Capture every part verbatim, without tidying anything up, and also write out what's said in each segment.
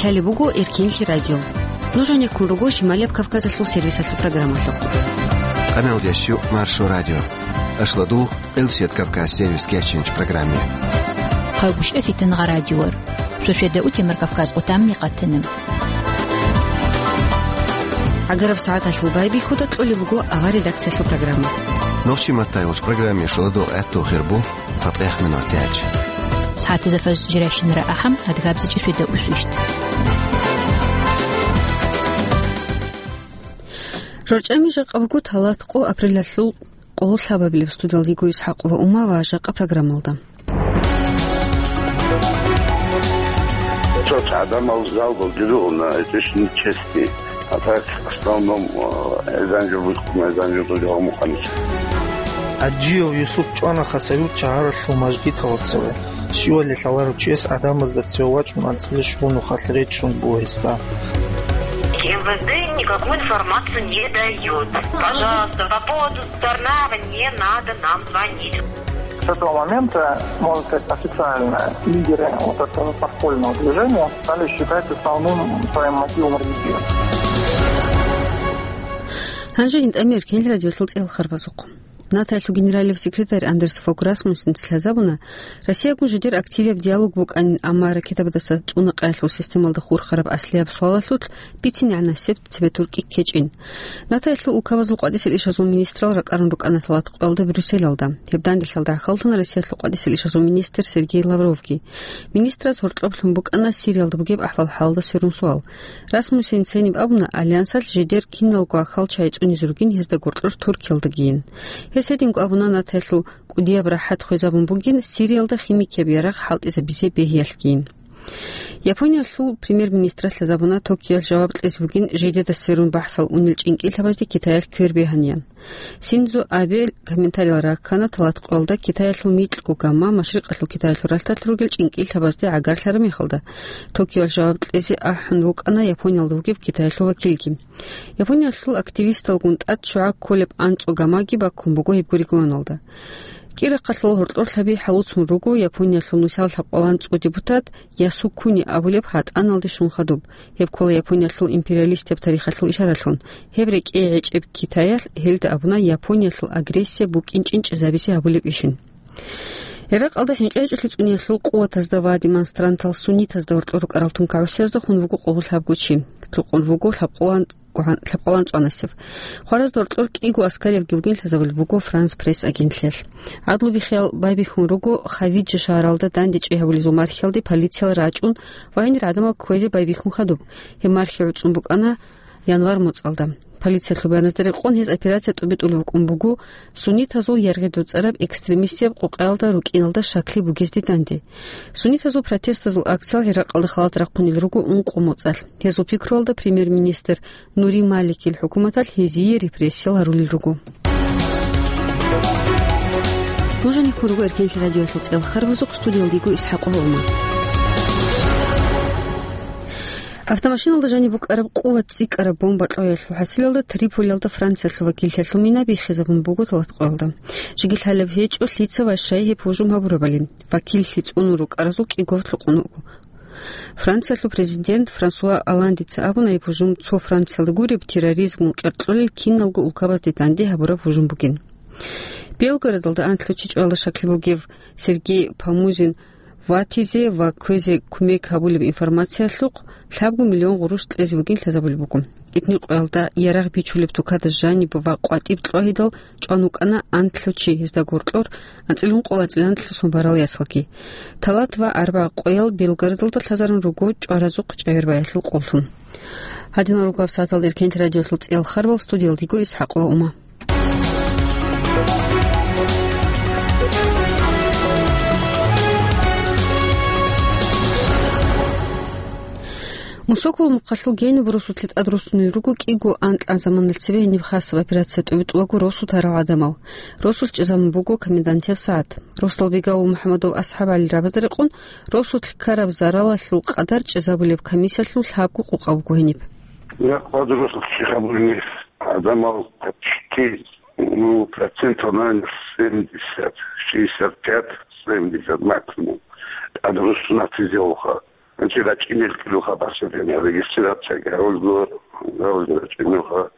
Лъалеб буго Эркенлъи радио. Нуж гьанеккун руго Шималияб Кавказалъул сервисалъул программалъухъ. Къаналдящу Маршо радио. Ашладугъ, Элсет Кавказ сервис кечинч программе. Хъагушев Фитнагъа радиор. Шошеда утемар Кавказ къутамни къатана. ГӀагараб сагӀаталъул байбихьуда кьолеб буго авар редакциялъул программа. Нохчи маттай уч программе шоладо гӀатту хирбу. ЦатӀехъ минуталъ. СагӀатазда фаз жирайщинара ахӀам, адгабзичӀи шведа усвищ. РорчӀами жакъа буго талат къо апрелалъул къоло лъабабилеб. Студиялда йиго ИсхӀакъова Ума ва жакъа программалда. Цо гӀадамал жалобал дидугъуна, это ж нечестно. А так, в основном, э, эзан жо бихъуна, эзан жо дуда гьамухъанчи. ГӀаджиев Юсуп чӀвана Хасавюрт шагьаралъул мажгиталда цеве. Щивали лъаларев чияс гӀадамазда цеве вачӀун анцӀила щуго нухалъ речӀчӀун буго гьесда. МВД никакую информацию не даёт. Пожалуйста, по поводу Тарнава не надо нам звонить. С этого момента, можно сказать, официально лидеры вот этого подпольного движения стали считать основным своим мотивом религию. Гьанже гьитӀамир кел радиолъул цӀел харбазухъ. НАТОялъул генералияб секретарь Андерс Фог Расмуссенца лъазабуна, Россиягун жидер активияб диалог букӀанин, амма ракетабадаса цӀуна къаялъул системалда хурхараб аслияб суалалъулъ бицин гӀанасеб цебе туркӀи ккечӀин. НАТОялъул улкабазул къватӀисел ишазул министрал ракӀарун рукӀана лъалат къоялда Брюсселалда. Гьеб данделъалда гӀахьаллъун Россиялъул къватӀисел ишазул министр Сергей Лавровги. Министраз гьоркьоб лъун букӀана Сириялда бугеб ахӀвал-хӀалалда сверун суал. Расмуссен цениб абуна, Альянсалъ жидер киналго гӀахьал чагӀи цӀунизе ругин гьезда гуркьур Туркиялдагийин. Гьес гьединго абуна НАТОялъул кӀудияб рахӀат хвезабун бугин Сириялда химикияб ярагъ хӀалтӀизабизе бегьиялъгийин. Япониялъул премьер-министралъ лъазабуна Токиоялъ жаваб кьезе бугин жидеда сверун бахӀсал унел чӀинкӀиллъабазде Китаялъ квербегьаниян. Синдзо Абе комментариял раккана талат къоялда Китаялъул микьго гама Машрикъалъул Китаялъул ралъдалъ ругел чӀинкӀиллъабазде гӀагарлъараб мехалда, Токиоялъ жаваб кьезе ахӀун вукӀана Япониялда вугев Китаялъул вакилги. Япониялъул активисталгун тӀад ччугӀа кколеб анцӀго гамаги баккун буго гьебго регионалда. КӀирахъалъул гьоркьорлъаби хӀалуцун руго Япониялъул нусал лъабкъалан цӀу депутат Ясукуни абулеб гьатӀаналде щун хадуб. Гьеб ккола Япониялъул империалистияб тарихалъул ишаралъун. Гьеб рекӀее гӀечӀеб Китаялъ гьелда абуна Япониялъул агрессия букӀин чӀинчӀизабизе гьабулеб ишин. ГӀиракъалда хӀинкъи гьечӀолъи цӀуниялъул къуватазда ва демонстрантал суннитазда гьоркьор рукӀарал тункагӀусиязда хун вуго къоло лъабго чи. Лъукъун вуго лъабкъулан гӀан-, лъабкъалан цӀванасев. Хваразда гьоркьор кӀиго аскариябги вугин лъазабулеб буго Франс Пресс агентлъиялъ. ГӀадлу биххиял байбихьун руго Хавиджа шагьаралда дандечӀей гьабулезул мархиялде полициялъ рачӀун ва гьенир гӀадамал кквезе байбихьун хадуб. Гьеб мархи гӀуцӀун букӀана январ моцӀалда. Полициялъул баяназда рекъон, гьез операция тӀубитӀулев вукӀун буго суннитазул яргъи доцӀараб экстремистияб къукъаялда рукӀиналда щаклъи бугезде данде. Суннитазул протестазул акциял ГӀиракъалда халат рахъунел руго ункъо моцӀалъ. Гьезул пикруялда премьер-министр Нури Маликил хӀукуматалъ гьезие репрессиял гьарулел руго. Нуж гьанеккун руго Эркенлъи радиоялъул цӀел харбазухъ, студиялда йиго ИсхӀакъова Ума. Автомашиналда жаниб букӀараб къуват цӀикӀкӀараб бомба кьвеялъул хӀасилалда Триполиялда Франциялъул вакиллъиялъул мина биххизабун буго талат къоялда. Жеги лъалеб гьечӀо лъица ва щай гьеб гьужум гьабурабали. Вакиллъи цӀунун рукӀаразул кӀиго лъукъун вуго. Франциялъул президент Франсуа Олландица абуна, гьеб гьужум цо Франциялда гуреб терроризмгун кьеркьолел киналго улкабазде данде гьабураб гьужум бугин. Белгородалда анлъго чи чӀвала щаклъи бугев Сергей Помузин ватизе ва кквезе кумек гьабулеб информациялъухъ лъабго миллион гъурущ кьезе бугин лъазабулеб буго. Итнихъуялда ярагъ бичулеб тукада жаниб ва къватӀиб кьвагьидал чӀван вукӀана анлъго чи, гьезда гьоркьор анцӀила ункъо ва анцӀила анлъго сон барал ясалги. Талат ва арбагъ къоял Белгородалда лъазарун руго чӀваразухъ чӀегӀербаялъул къоллъун. Гьадинал руго гьабсагӀаталда Эркенлъи радиоялъул цӀел харбал, студиялда йиго ИсхӀакъова Ума. Мусокол мухъалъул гьениб росулъе тӀадруссунел руго кӀиго анкьа заманалъ цебе гьениб хасаб операция тӀубитӀулаго росу тарал гӀадамал. Росулъ чӀезабун буго комендантияб сагӀат. Росдал бегав МухӀамадов АсхӀаб ГӀалил рабазда рекъон, росулъ ккараб заралалъул къадар чӀезабулеб комиссиялъул лъабго къокъа буго гьениб. Рахъ бадуралъухъ чи гьабурни гӀадамал почти, ну, процентов, наверное, семьдесят, шестьдесят пять, семьдесят максимум тӀадруссунатизе вуха. Гьанже рачӀинел кӀилуха басилъана регистрацияги гьавулго, гьавулго рачӀинелха,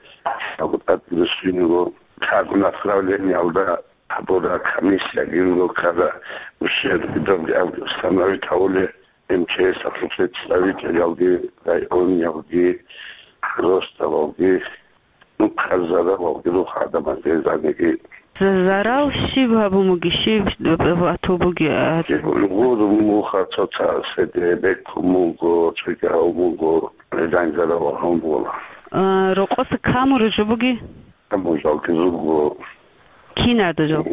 абу тӀад нусиного, как направлениялда гьабура комиссия гинго ккара, ущерб гьабги абги установить гьавуле, МЧС-алъул представителялги, райониялги, росталалги. Ну, хъазарал валгирухъ гӀадамазда гьезаниги. За-, зарал щиб гьабун буги, щиб батул буги, а? Гъурун муха цоцаседе, беккун муго, цогьал муго, гьезан зарал гьабун бугола. А, рокъоса камуру жо буги? Камуржал кизурго. Кин гӀадажал?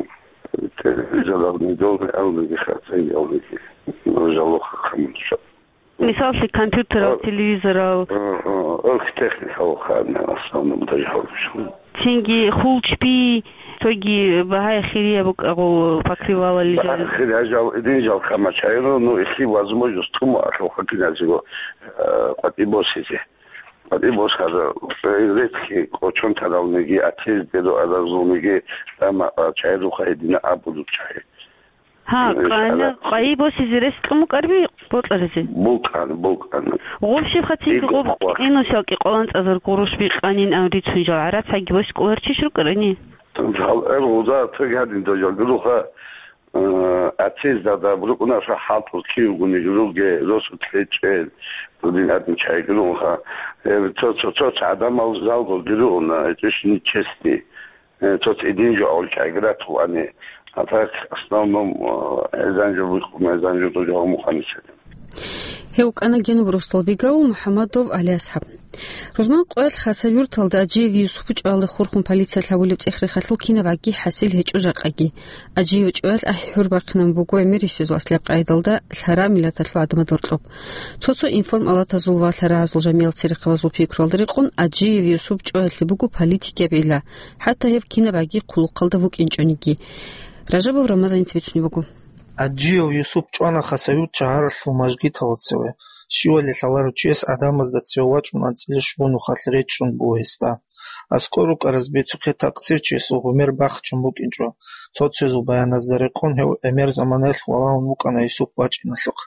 Телевизорални долги, алниги хацай, алниги. Нужалуха камуржал. Мисаллъи, компьютерал, О. телевизорал. О, о, о, техникал ханна, в основном, даже хорошо. Цинги хул чпи, цоги багьа хирия букӀагъул покрывалали Багьа жал. хирия жал, идин жал камачайро, ну, если возможность тума, ахӀо, хакиназиго, э, къватӀи босизе. КъватӀи босаза, э, редки кочон таралниги, атез дедо аразулниги, тама, а, чайруха гьедина абулучай. Гьа, Ин къана, шагьарат. Къайи босизе рес кьун букӀарби бокьаризе? Букъана, букъана. Гъуб щибха цинги Диго гъуб хъвар. Кьинусал кӀикъвалан цӀазар гъурущ бикъанин ам рицун жал гӀарацаги босикӀулар чиш рукӀарани? Жал эр гъуда цӀи гьадин дожал гуруха, э, ацез дада бурукъунаша хӀалтӀур кивгуни руге росу кьечӀел, дудин гьадин чай гурунха. Э, цо, цо, цо, цо гӀадамал жалго гуруна, гьечӀищ нечестный. Э, цо цӀидин жо гьавулчӀайги ратулани. А так, в основном, э, гьезан жо бихъун, гьезан жо дужа гьамухъанисали. Гьев вукӀана Генуб росдал бигав МухӀаммадов ГӀалиасхӀаб. Рузман къоялъ Хасавюрталда Аджиев Юсуп чӀвалде хурхун полициялъ гьабулеб цӀех-рехалъул кинабгӀаги хӀасил гьечӀо жакъаги. Аджиев чӀваялъ ахӀи-хӀурбахъинаб буго гӀемерисезул аслаб къайдалда лъара миллаталъул гӀадамазда гьоркьоб. Цо-цо информалатазул ва лъарагӀазул жамигӀал церехъабазул пикруялда рекъон Аджиев Юсуп чӀваялъе буго политикияб гӀилла, хӀатта гьев кинабгӀаги хъулухъалда вукӀинчӀониги. Ражабов Рамазаница бицунеб буго. Аджиев Юсуп чӀвана Хасавюрт шагьаралъул мажгиталда цеве. Щивали лъаларев чияс гӀадамазда цеве вачӀун анцӀила щуго нухалъ речӀчӀун буго гьесда. АскӀор рукӀараз бицухъе такъсирчиясул гъумер бахчун букӀинчӀо. Цо-цоязул баяназда рекъон гьев гӀемер заманаялъ валагьун вукӀана Юсуп вачӀиналъухъ.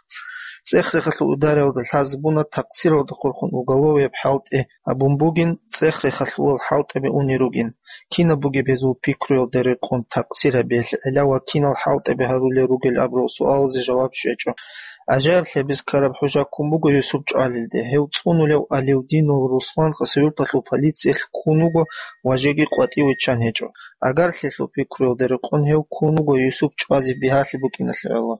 ЦӀех-рехалъул идараялда лъазе буна такъсиралда хурхун уголовияб хӀалтӀи гьабун бугин, цӀех-рехалъулал хӀалтӀаби унел ругин. Кинаб бугеб гьезул пикруялда рекъон такъсир гьабиялъе гӀела ва кинал хӀалтӀаби гьарулел ругел абурал суалазе жаваб щвечӀо. ГӀажаиблъи гьабиз ккараб хӀужа ккун буго Юсуп чӀвалелде. Гьев цӀунулев Алевдинов Руслан Хасавюрталъул полициялъ ккун вуго ва жеги къватӀив виччан гьечӀо. Агарлъиялъул пикруялда рекъон гьев ккун вуго Юсуп чӀвазе бигьалъи букӀиналъе гӀоло.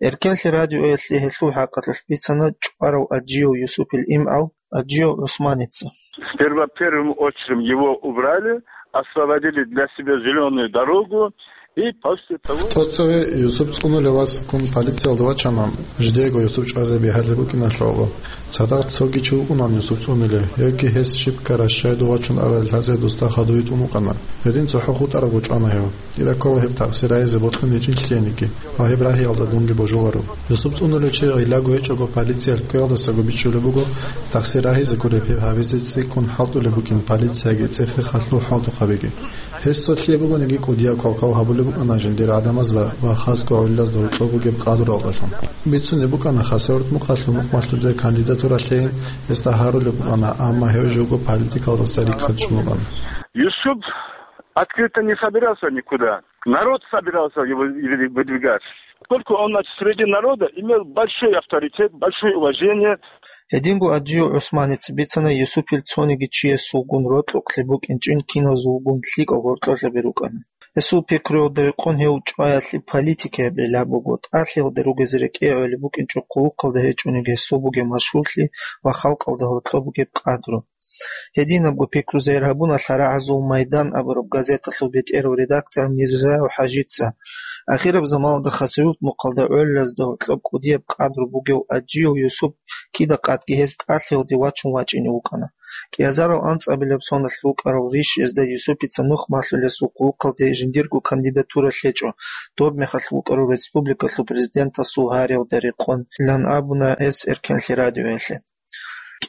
Эркенлъи радиоялъе гьелъул хӀакъалъулъ бицана чӀварав Аджиев Юсупил имгӀал Аджиев ГӀусманица. Сперва первым очередом его убрали, освободили для себя зелёную дорогу, и после того... Цо-цо Юсуп цӀунулев вас ккун полициялда вачана, жидеего Юсуп чӀвазе бигьалъи букӀиналъе гӀоло. Цадахъ цоги чи вукӀунан Юсуп цӀунулев, гьевги гьес щиб ккараб щайго вачун арал лъазе досда хадув витӀун вукӀана. Гьедин цохӀо хутӀарабго чӀвана гьев. Кида ккола гьеб такъсир гьабизе бокьун гьечӀин лъиениги ва гьеб рагьиялда дунги божуларо. Юсуп цӀунулев чи гӀиллаго гьечӀого полициялъ кквеялдасаго бичӀчӀулеб буго, такъсир рагьизе гуреб гьеб гьабизе цӀикӀкӀун хӀалтӀулеб букӀин полицияги цӀех-рехалъул хӀалтӀухъабиги. Гьес цо лъие бугониги кӀудияб квалквал гьабулеб букӀана жиндир гӀадамазда ва хасго гӀолилазда гьоркьоб бугеб къадралдалъун. Бицунеб букӀана Хасавюрт мухъалъ мухъ малъулеб кандидатура лъейин гьесда гьарулеб букӀана, амма гьев живго политикалдаса рихъад чӀун букӀана. Юсуп открыто не собирался никуда. Народ собирался его выдвигать. Поскольку он, значит, среди народа имел большой авторитет, большое уважение. Гьединго Аджиев ГӀусманица бицана Юсупил цониги чиясулгун рокьукълъи букӀинчӀин киназулгун лъикӀал гьоркьолъаби рукӀана. Гьесул пикруялда рекъон гьев чӀваялъе политикаяб гӀилла буго, тӀалъиялда ругезе рекӀее гӀолеб букӀинчӀо хъулухъалда гьечӀониги гьесул бугеб машгьурлъи ва халкъалда гьоркьоб бугеб къадру. Гьединабго пикру зайир гьабуна лъарагӀазул Майдан абураб газеталъул бетӀерав редактор Мирзаев ХӀажица. Ахираб заманалда Хасавюрт мухъалда гӀолилазда гьоркьоб кӀудияб къадру бугев Аджиев Юсуп кида-къадги гьес тӀалъиялде вачун вачӀине вукӀана. КӀиазарал анцӀабилеб соналъ рукӀарал рищ гьезда Юсупица нух малъулесул хъулухъалде жиндирго кандидатура лъечӀо, доб мехалъ вукӀарав республикалъул президентасул гьариялда рекъон, илан абуна гьес Эркенлъи радиоялъе.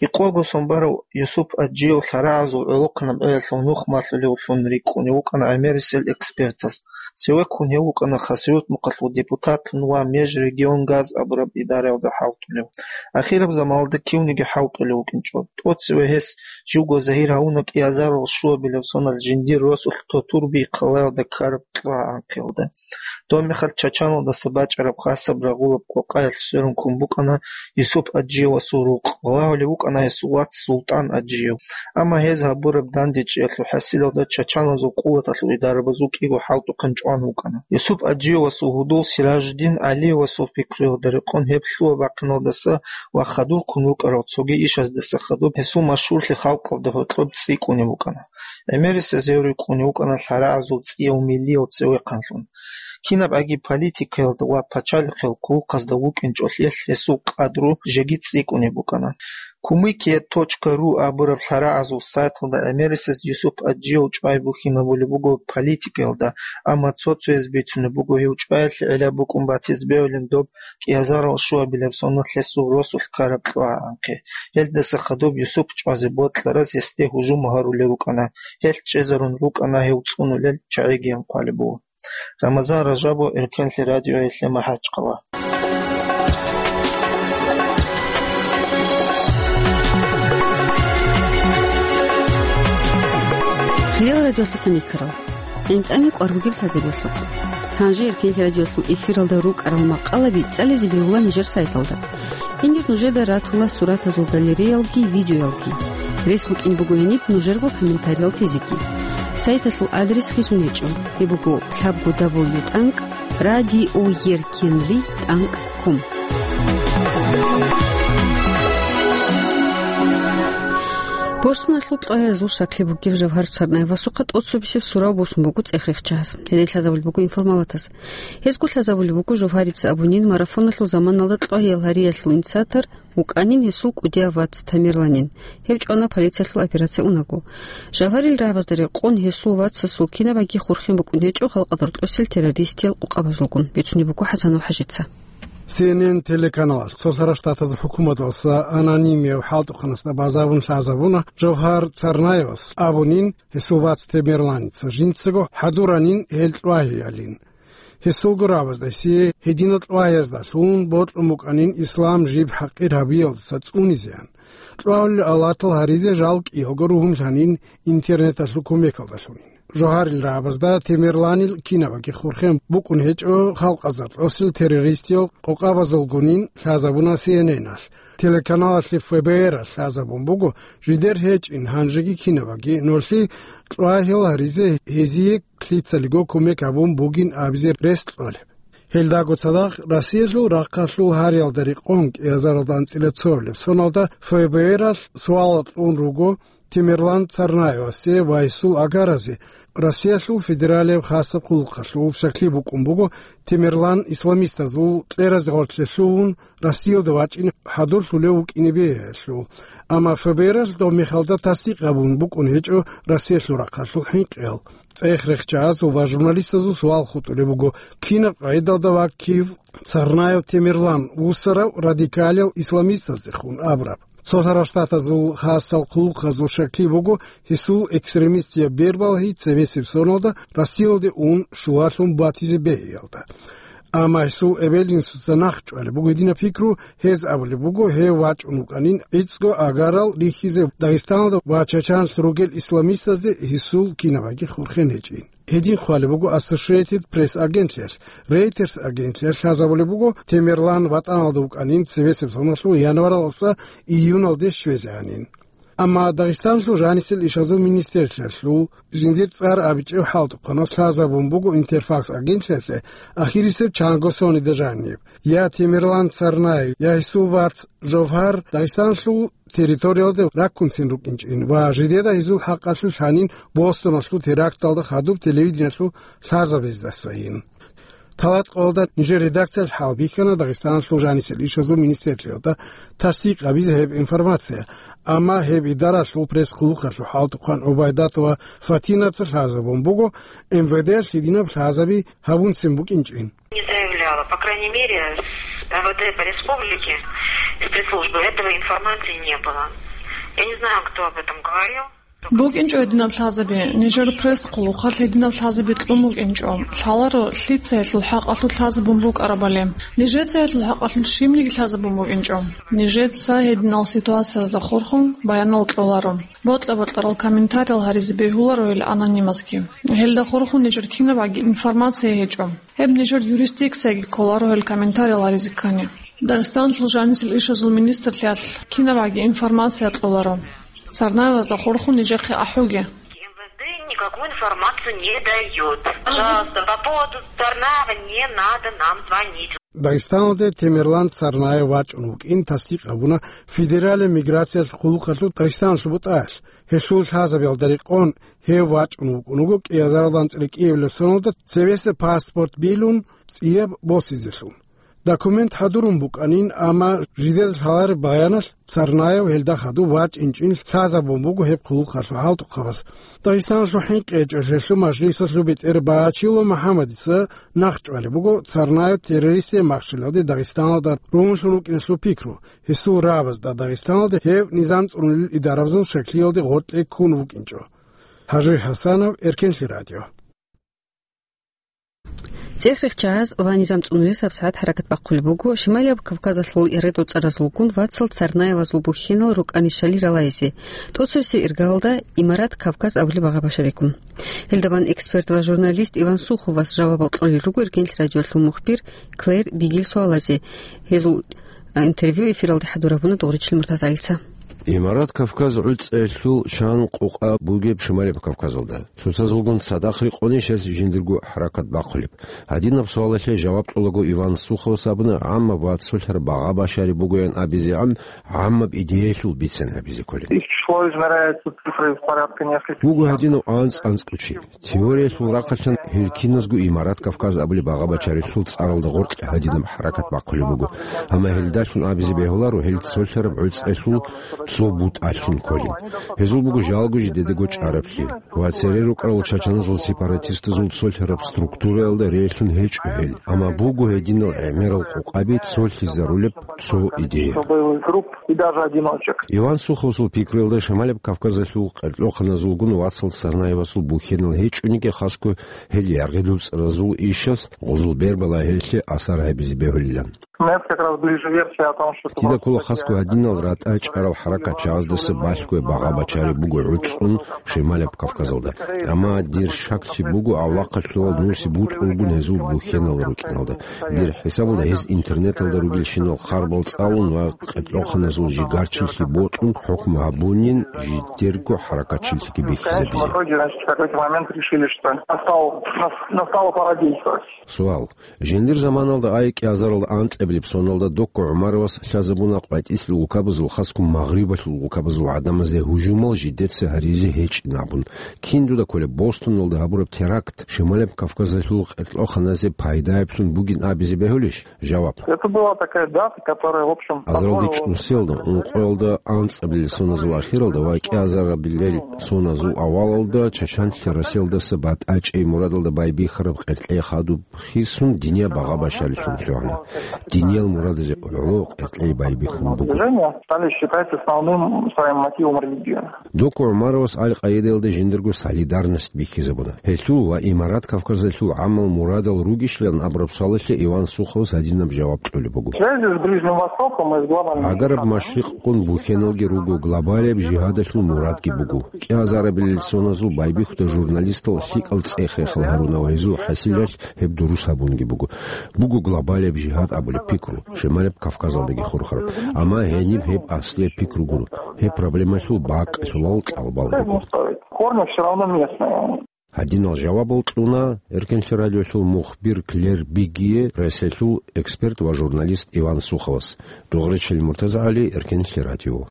КӀикъого сон барав Юсуп Аджиев лъарагӀазул гӀолохъанаб гӀелалъул нух малъулевлъун рикӀкӀунев вукӀана гӀемерисел экспертас. Цеве ккун гьев вукӀана Хасавюрт мухъалъул депутатлъун ва Межрегионгаз абураб идараялда хӀалтӀулев. Ахираб заманалда кивниги хӀалтӀулев вукӀинчӀо. ТӀоцеве гьес живго загьир гьавуна кӀиазарал щуабилеб соналъ жиндир росулъ Тотурби хъалаялда ккараб кьвагӀанхъиялда. Доб мехалъ Чачаналдаса бачӀараб хасаб рагъулаб къокъаялъ сверун ккун букӀана Юсуп Аджиевасул рукъ. Балагьулев вукӀана гьесул вац СултӀан Аджиев. Амма гьез гьабураб дандечӀиялъул хӀасилалда чачаназул къуваталъул идарабазул кӀиго хӀалтӀухъан чӀван вукӀана. Юсуп Аджиевасул гьудул Сиражуддин ГӀалиевасул пикруялда рекъон гьеб лъугьа-бахъиналдаса ва хадур ккун рукӀарал цоги ишаздаса хадуб гьесул машгьурлъи халкъалда гьоркьоб цӀикӀкӀунеб букӀана. ГӀемерисез гьев рикӀкӀунев вукӀана лъарагӀазул цӀияв миллияв цевехъанлъун. Кинаб аги политикаялда ва пачалихъел хъулухъазда вукӀинчӀолъиялъ гьесул къадру жеги цӀикӀкӀунеб букӀана. Кумыкия точка ру абураб лъарагӀазул сайталда гӀемерисез Юсуп Аджиев чӀвай бухьинабулеб буго политикаялда, амма цо-цояз бицунеб буго гьев чӀваялъе гӀелаб букӀун батизе бегьулин доб кӀиазарал щуабилеб соналъ гьесул росулъ ккараб кьвагӀанхъе. Гьелдаса хадуб Юсуп чӀвазе бокьараз гьесде гьужум гьарулев рукӀана. Гьелъ чӀезарун рукӀана гьев цӀунулел чагӀигиян хъвалеб буго. Рамазан Ражабов, Эркенлъи радиоялъе, МахӀачхъала. Хириял радиолъухъ никарал. ГӀинтӀами кӀвар бугеб лъазабиялъухъ. Гьанже Эркенлъи радиолъул эфиралда рукӀарал макъалаби цӀализе бегьула нижер сайталда. Гьенир нужеда ратула суратазул галереялги, видеоялги. Рес букӀин буго гьениб нужерго комментариялъ тезеги. Сайталъул адрес хисун гьечӀо. Гьеб буго лъабго дабл ю тӀанкӀ радиоеркенлъи тӀанкӀ ком. Босуналъул кьвагьазул щаклъи бугев Жавгьар Царнаевасухъа тӀоцебесеб сурав босун буго цӀех-рехчагьас. Гьенир лъазабулеб буго информалатас. Гьезго лъазабулеб буго Жавгьарица абунин марафоналъул заманалда кьвагьиял гьариялъул инициатор вукӀанин гьесул кӀудияв вац Тамерланин. Гьев чӀвана полициялъул операция унаго. Жавгьарил рагӀабазда рекъон гьесул вацасул кинабаги хурхен букӀун гьечӀо халкъалда рокьосел террористиял къокъабазулгун, бицунеб буго ХӀасанов ХӀажица. Си Эн Эн телеканалалъ Цолъарав Штатазул хӀукуматалъа анонимияв хӀалтӀухъанасда базарун лъазабуна Жавгьар Царнаевас абунин, гьесул вац Тамерланица жинцаго хӀадуранин гьел кьвагьиялин. Гьесулго рагӀабазда гьесие гьединал кьвагьияздалъун бокьун букӀанин ислам жиб хӀакъир гьабиялдаса цӀунизеян. Кьвагьулел алатал гьаризе жал кӀиялго ругьунлъанин интернеталъул кумекалдалъунин. Жавгьарил рагӀабазда Тамерланил кинабаги хурхен букӀун гьечӀо халкъазда рокьосел террористиял къокъабазулгунин лъазабуна Си Эн Эналъ. Телеканалалъе Ф Б Р-алъ лъазабун буго, жидер гьечӀин гьанжеги кинабаги, нолъи кьвагьиял гьаризе гьезие лъицалиго кумек гьабун бугин абизе рес кьолеб. Гьелдаго цадахъ Россиялъул рахъалъул гьариялда рекъон кӀиазаралда анцӀила цоабилеб соналда Ф Б Р-алъ суал кьун руго Тамерлан Царнаевасе ва гьесул агаразе Россиялъул федералияб хасаб хъулухъалъул щаклъи букӀун буго Тамерлан исламистазул кьеразе гъоркье лъугьун, Россиялда вачӀине хӀадурлъулев вукӀине бегьулъул. Амма Ф Б Р-алъ доб мехалда тасдикъ гьабун букӀун гьечӀо Россиялъул рахъалъул хӀинкъиял. ЦӀех-рехчагьазул ва журналистазул суал хутӀулеб буго, кинаб къагӀидалда ва кив Царнаев Тамерлан вуссарав радикалиял исламистаздехун абураб. Цолъарав Штатазул хасал хъулухъазул щаклъи буго, гьесул экстремистияб бербалги цебесеб соналда Россиялде ун щулалъун батизе бегьиялда. Амма гьесул эбел-инсуца нахъчӀвалеб буго гьединаб пикру, гьез абулеб буго, гьев вачӀун вукӀанин гӀицӀго агарал рихьизе Дагъистаналда ва Чачаналъ ругел исламистазде гьесул кинабаги хурхен гьечӀин. Гьедин хъвалеб буго Associated Press агентлъиялъ. Reuters агентлъиялъ лъазабулеб буго, Тамерлан ватӀаналда вукӀанин цебесеб соналъул январалдаса июналде щвезегӀанин. Амма Дагъистаналъул жанисел ишазул министрлъиялъул жиндир цӀар абичӀев хӀалтӀухъанас лъазабун буго Интерфакс агентлъиялъе ахирисеб чанго сонида жаниб. Я Тамерлан Царнаев, я гьесул вац Жовгьар Дагъистаналъул территориялда раккунцин рукӀинчӀин ва жидеда гьезул хӀакъалъулъ гьанин Бостоналъул теракталда хадуб телевидениялъул лъазабиздасайин. Талат къоялда нижер редакциялъ хӀалбихьана Дагъистаналъул жанисел ишазул министрлъиялда тасдикъ гьабизе гьеб информация, амма гьеб идаралъул пресс-хъулухъалъул хӀалтӀухъан ГӀубайдатова Фатинаца лъазабун буго, М В Д-алъ гьединаб лъазаби гьабунцин букӀинчӀин. Не заявляла. По крайней мере, с М В Д по республике, с пресс-службы этого информации не было. Я не знаю, кто об этом говорил. БукӀинчӀо гьединаб лъазаби, нижер пресс-хъулухъалъ гьединаб лъазаби кьун букӀинчӀо. Лъаларо, лъица гьелъул хӀакъалъулъ лъазабун букӀарабали. Нижеца гьелъул хӀакъалъулъ щибниги лъазабун букӀинчӀо. Нижеца гьединал ситуациязда хурхун баянал кьоларо. Бокьа-бокьарал комментариял гьаризе бегьуларо гьел анонимазги. Гьелда хурхун нижер кинабгӀаги информация гьечӀо. Гьеб нижер юрисдикцияги кколаро гьел комментариял гьаризе ккани. Дагъистаналъул жанисел ишазул министрлъиялъ кинабгӀаги информация кьоларо. Царнаевазда хурхун нижехъе ахӀуге. МВД никакую информацию не даёт. Пожалуйста, по поводу Царнаева не надо нам звонить. Дагъистаналде Темирлан Царнаев вачӀун вукӀин тасдикъ гьабуна Федералияб миграциялъул хъулухъалъул Дагъистаналъул бутӀаялъ. Гьелъул лъазабиялда рекъон гьев вачӀун вукӀун вуго кӀиазаралда анцӀила кӀиабилеб соналда цевеса паспорт билун цӀияб босизелъун. Документ хӀадурун букӀанин, амма жидеда лъалареб баяналъ Царнаев гьелда хадуб вачӀинчӀин лъазабун буго гьеб хъулухъалъул хӀалтӀухъабаз. Дагъистаналъул хӀинкъи гьечӀолъиялъул мажлисалъул бетӀер Бачило МухӀаммадица нахъчӀвалеб буго Царнаев террористияй махщелалде Дагъистаналда ругьунлъун рукӀиналъул пикру, гьесул рагӀабазда Дагъистаналда гьев низам цӀунулел идарабазул шаклиялде гъоркье ккун вукӀинчӀо. Гьажи ХӀасанов, Эркенлъи радио. ЦӀехрехъ чагӀаз ва низам цӀунулес гьабсагӀат хӀаракат бахъулеб буго Шималияб Кавказалъул регӀдуцӀаразулгун вацал Царнаевазул бухьенал рукӀанищали ралайзе, тӀоцевесев иргаялда Имарат Кавказ абулеб багъа башариккун. Гьелдабан эксперт ва журналист Иван Суховас жавабал кьолел руго Эркенлъи радиолъул мухбир Клэр Бигил суалазе. Гьезул интервью эфиралде хӀадур гьабуна Дугъричил МуртазагӀилица. Имарат Кавказ гӀуцӀелъул чан къукъа бугеб Шималияб Кавказалда. Цоцазулгун цадахъ рекъонищ гьес жиндирго хӀаракат бахъулеб? Гьадинаб суалалъе жаваб кьолаго Иван Суховас абуна, гӀаммаб ва цолъараб багъа башари бугоян абизегӀан гӀаммаб идеялъул бицен гьабизе кколин. Их число измеряется цифрой в порядка нескольких. Буго гьадинав анцӀ-анцӀго чи. Теориялъул рахъалъан гьел киназго Имарат Кавказ абулеб багъа башарилъул цӀаралда гъоркье гьадинаб хӀаракат бахъулеб буго. Амма гьелдалъун абизе бегьуларо гьел цолъараб гӀуцӀелъул цо бутӀалъун кколин. Гьезул буго жалго жидедаго чӀараблъи. Ва цере рукӀарал чачаназул сепаратистазул цолъараб структураялда релълъун гьечӀо гьел, амма буго гьединал гӀемерал къукъаби цолъизарулеб цо идея. Боевых групп и даже одиночек. Иван Суховасул пикруялда, Шималияб Кавказалъул къеркьоханазулгун вацал Царнаевасул бухьенал гьечӀониги, хасго гьел яргъи-дуцӀразул ишас гъузул бербала гьелъе асар гьабизе бегьулилан. Мне как раз ближе версия о том, что это... Дида ккола хасго гьадинал ратӀа чӀарал хӀаракатчагӀаздаса балъго багъа бачари буго гӀуцӀун Шималаб Кавказалда. Амма дир шаклъи буго, авлахъалъулал нуси бутӀулгун гьезул бухьенал рукӀиналда. Дир хӀисабалда гьез интернеталда ругелщинал харбал цӀалун ва къеркьоханазул жигарчилъи бокьун хӀукму гьабунин жидерго хӀаракатчилъиги бихьизабизе. В итоге, значит, в какой-то момент решили, что настал, нас-, настала пора действовать. Суал. Жиндир заманалда, ай кӀиазарал анкьабилеб соналда, Докко ГӀумаровас лъазабуна къватӀислъи улкабазул, хасго Магърибалъул улкабазул гӀадамазде гьужумал жидеца гьаризе гьечӀин абун. Кин дуда кколеб, Бостоналда гьабураб теракт Шималаб Кавказалъул къеркьоханазе пайдаеблъун бугин абизе бегьулищ? Жаваб. Это была такая дата, которая, в общем, Азаралде позволила чӀусиялда, ункъоялда анцӀабилеб соназул ахиралда ва кӀиазарабилеб соназул авалалда чачанлъи Россиялдаса батӀачӀей мурадалда байбихьараб къеркьей хадуб хисун динияб багъа башарилъун лъугьана. Диниял мурадазе гӀоло къеркьей байбихьун буго. Движение стали считать основным своим мотивом религию. Докко ГӀумаровас Аль-Къаидаялда жиндирго солидарность бихьизабуна. Гьелъул ва Имарат Кавказалъул гӀамал мурадал ругищилан абураб суалалъе Иван Суховас гьадинаб жаваб кьолеб буго. В связи с Ближним Востоком и с глобальными... Гьагараб машрикъгун бухьеналги руго глобалияб жигьадалъул мурадги буго. КӀиазарабилел соназул байбихьуда журналистал лъикӀал цӀех-рехал гьаруна ва гьезул хӀасилалъ гьеб дурус гьабунги буго. Буго глобалияб жигьад абулеб пикру, Шималаб Кавказалдаги хурхараб. Амма гьениб гьеб аслияб пикру гуро. Гьеб проблемалъул бакӀалъулал кьалбал руго. Корни всё равно местные. Гьадинал жавабал кьуна Эркенлъи радиолъул мухбир Клер Бигие, Россиялъул эксперт ва журналист Иван Суховас. Дугъричил МуртазагӀали, Эркенлъи радио.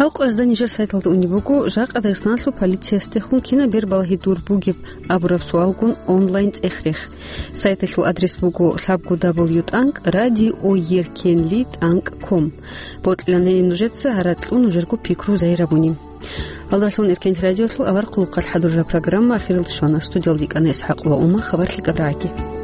Гьал къоязда нижер сайталда унеб буго жакъа Дагъистаналъул полициясдехун кинаб бербалагьи дур бугеб абураб суалгун онлайн цӀех-рех. Сайталъул адрес буго лъабго дабл ю тӀанкӀ радио еркенлъи тӀанкӀ ком. Бокьиланайин нужеца гьаракь кьун нужерго пикру загьир гьабуни. Аллагьлъун Эркенлъи радиолъул авар хъулухъалъ хӀадурараб программа ахиралде щвана. Студиялда витӀана ИсхӀакъ ва Ума. Хабар лъикӀаб рагӀаги.